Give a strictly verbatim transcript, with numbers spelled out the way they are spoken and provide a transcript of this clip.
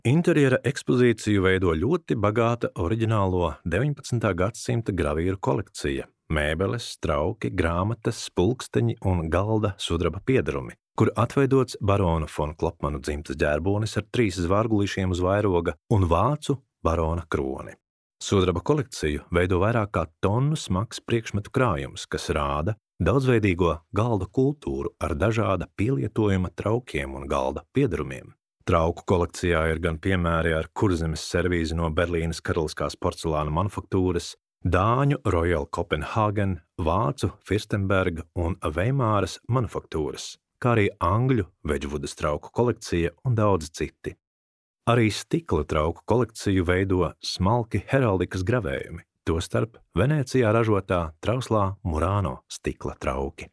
Interjera ekspozīciju veido ļoti bagāta oriģinālo deviņpadsmitā gadsimta gravīru kolekcija – mēbeles, trauki, grāmatas, pulksteņi un galda sudraba piedarumi, kur atveidots barona fon Klopmanu dzimtas ģērbonis ar trīs zvārgulīšiem uz vairoga un vācu barona kroni. Sudraba kolekciju veido vairāk kā tonu smags priekšmetu krājums, kas rāda daudzveidīgo galda kultūru ar dažāda pielietojuma traukiem un galda piedarumiem. Trauku kolekcijā ir gan piemēri ar kurzemes servīzi no Berlīnes karaliskās porcelāna manufaktūras, dāņu Royal Copenhagen, vācu Firstenberga un Veimāras manufaktūras, kā arī angļu Wedgwoodas trauku kolekcija un daudz citi. Arī stikla trauku kolekciju veido smalki heraldikas gravējumi, tostarp Venecijā ražotā trauslā Murano stikla trauki.